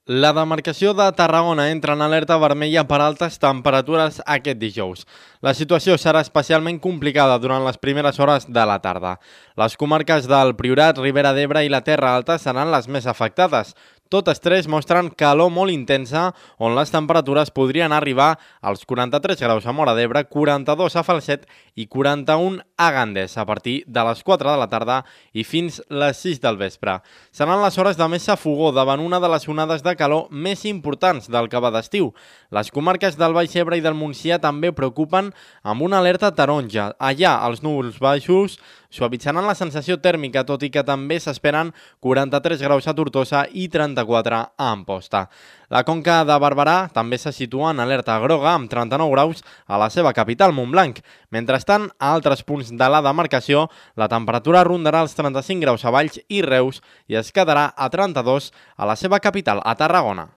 La demarcació de Tarragona entra en alerta vermella per altes temperatures aquest dijous. La situació serà especialment complicada durant les primeres hores de la tarda. Les comarques del Priorat, Ribera d'Ebre i la Terra Alta seran les més afectades. Totes tres mostren calor molt intensa, on les temperatures podrien arribar als 43 graus a Móra d'Ebre, 42 a Falset i 41 a Gandés, a partir de les 4 de la tarda i fins les 6 del vespre. Seran les hores de més safogor davant una de les onades de calor més importants del que va d'estiu. Les comarques del Baix Ebre i del Montsià també preocupen amb una alerta taronja. Allà, els núvols baixos suavitzaran la sensació tèrmica, tot i que també s'esperen 43 graus a Tortosa i 34 a Amposta. La Conca de Barberà també se situa en alerta groga amb 39 graus a la seva capital, Montblanc. Mentrestant, a altres punts de la demarcació, la temperatura rondarà els 35 graus a Valls i Reus i es quedarà a 32 a la seva capital, a Tarragona.